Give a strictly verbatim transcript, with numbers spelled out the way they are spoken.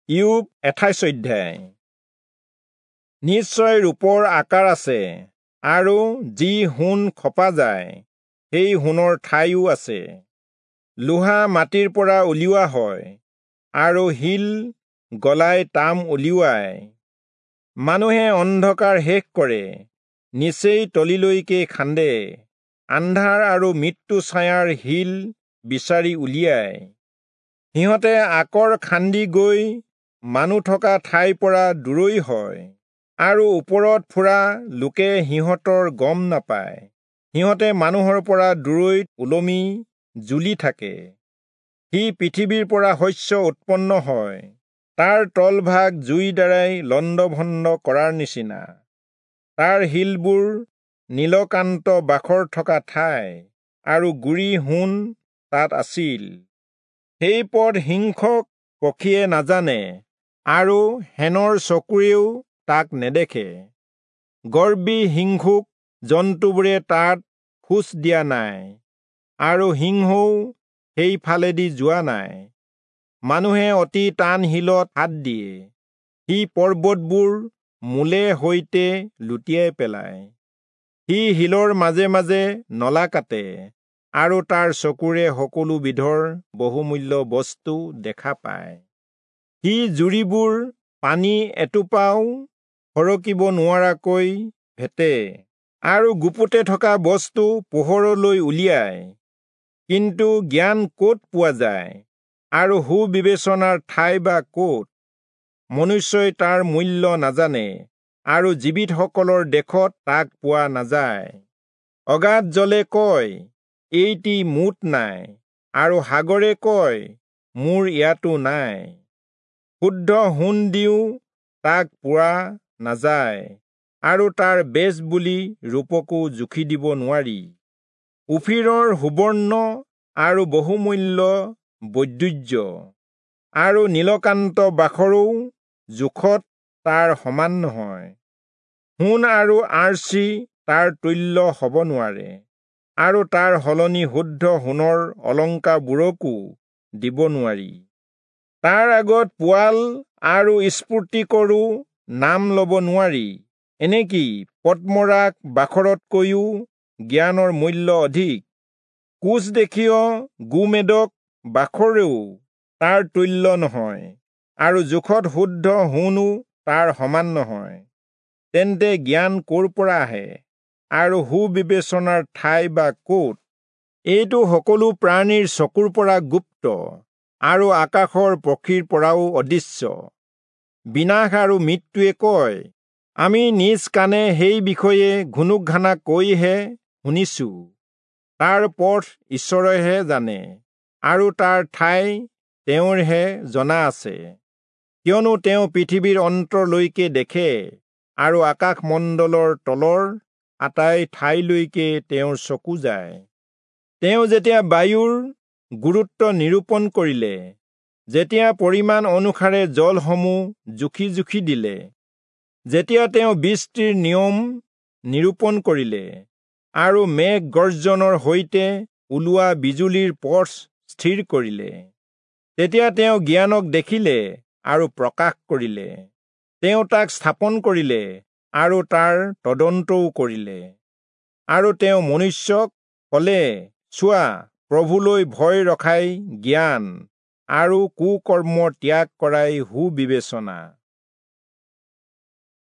ইয়োব আঠাইশ অধ্যায়। নিশ্চয় ৰূপৰ আকাৰ আছে, আৰু যি সোণ খপা যায় সেই সোণৰ ঠাইও আছে। লোহা মাটিৰ পৰা উলিওৱা হয়, আৰু শিল গলাই তাম উলিওৱায়। মানুহে অন্ধকাৰ শেষ কৰে, নিচেই তলিলৈকে খান্দে, আন্ধাৰ আৰু মৃত্যু ছায়াৰ শিল বিচাৰি উলিয়ায়। সিহঁতে আকৰ খান্দি গৈ মানুহ থকা ঠাইৰ পৰা দূৰৈ হয়, আৰু ওপৰত ফুৰা লোকে সিহঁতৰ গম নাপায়। সিহঁতে মানুহৰ পৰা দূৰৈত ওলমি জুলি থাকে। সি পৃথিৱীৰ পৰা শস্য উৎপন্ন হয়, তাৰ তলভাগ জুইৰ দ্বাৰাই লণ্ডভণ্ড কৰাৰ নিচিনা। তাৰ শিলবোৰ নীলকান্ত বাখৰ থকা ঠাই, আৰু গুৰি সোণ তাত আছিল। সেই পথ হিংসক পক্ষীয়ে নাজানে, আৰু শেনৰ চকুৰেও তাক নেদেখে। গৰ্বী হিংসুক জন্তুবোৰে তাত খোজ দিয়া নাই, আৰু সিংহও সেইফালেদি যোৱা নাই। মানুহে অতি টান শিলত হাত দিয়ে, সি পৰ্বতবোৰ মূলে সৈতে লুটিয়াই পেলায়। সি শিলৰ মাজে মাজে নলা কাটে, আৰু তাৰ চকুৰে সকলো বিধৰ বহুমূল্য বস্তু দেখা পায়। সি জুৰিবোৰ পানী এটোপাও সৰকিব নোৱাৰাকৈ ভেটে, আৰু গুপুতে থকা বস্তু পোহৰলৈ উলিয়ায়। কিন্তু জ্ঞান ক'ত পোৱা যায়, আৰু সুবিবেচনাৰ ঠাই বা ক'ত? মনুষ্যই তাৰ মূল্য নাজানে, আৰু জীৱিতসকলৰ দেশত তাক পোৱা নাযায়। অগাধ জলে কয়, এইটি মোত নাই, আৰু সাগৰে কয়, মোৰ ইয়াতো নাই। শুদ্ধ সোণ দিও তাক পোৱা নাযায়, আৰু তাৰ বেচ বুলি ৰূপকো জুখি দিব নোৱাৰি। ওফিৰৰ সুবৰ্ণ আৰু বহুমূল্য বৈদুৰ্য আৰু নীলকান্ত বাখৰো জোখত তাৰ সমান নহয়। সোণ আৰু আৰ্চি তাৰ তুল্য হ'ব নোৱাৰে, আৰু তাৰ সলনি শুদ্ধ সোণৰ অলংকাৰবোৰকো দিব নোৱাৰি। তাৰ আগত পোৱাল আৰু স্ফুৰ্তিকৰো নাম ল'ব নোৱাৰি। এনেকি পদ্মৰাগ বাখৰতকৈও জ্ঞানৰ মূল্য অধিক। কোচ দেশীয় গোমেদক বাখৰেও তাৰ তুল্য নহয়, আৰু জোখত শুদ্ধ সোণো তাৰ সমান নহয়। তেন্তে জ্ঞান ক'ৰ পৰা আহে, আৰু সুবিবেচনাৰ ঠাই বা ক'ত? এইটো সকলো প্ৰাণীৰ চকুৰ পৰা গুপ্ত, আৰু আকাশৰ পক্ষীৰ পৰাও অদৃশ্য। বিনাশ আৰু মৃত্যুৱে কয়, আমি নিজ কাণে সেই বিষয়ে ঘুনুক ঘানাকৈহে শুনিছো। তাৰ পথ ঈশ্বৰেহে জানে, আৰু তাৰ ঠাই তেওঁৰহে জনা আছে। কিয়নো তেওঁ পৃথিৱীৰ অন্তৰলৈকে দেখে, আৰু আকাশমণ্ডলৰ তলৰ আটাই ঠাইলৈকে তেওঁৰ চকু যায়। তেওঁ যেতিয়া বায়ুৰ গুৰুত্ব নিৰূপণ কৰিলে, যেতিয়া পৰিমাণ অনুসাৰে জলসমূহ জুখি জুখি দিলে, যেতিয়া তেওঁ বৃষ্টিৰ নিয়ম নিৰূপণ কৰিলে, আৰু মেঘ গৰ্জনৰ সৈতে ওলোৱা বিজুলীৰ পথ স্থিৰ কৰিলে, তেতিয়া তেওঁ জ্ঞানক দেখিলে আৰু প্ৰকাশ কৰিলে। তেওঁ তাক স্থাপন কৰিলে, আৰু তাৰ তদন্তও কৰিলে। আৰু তেওঁ মনুষ্যক ক'লে, চোৱা, প্ৰভুলৈ ভয় ৰখাই জ্ঞান, আৰু কুকৰ্ম ত্যাগ কৰাই সুবিবেচনা।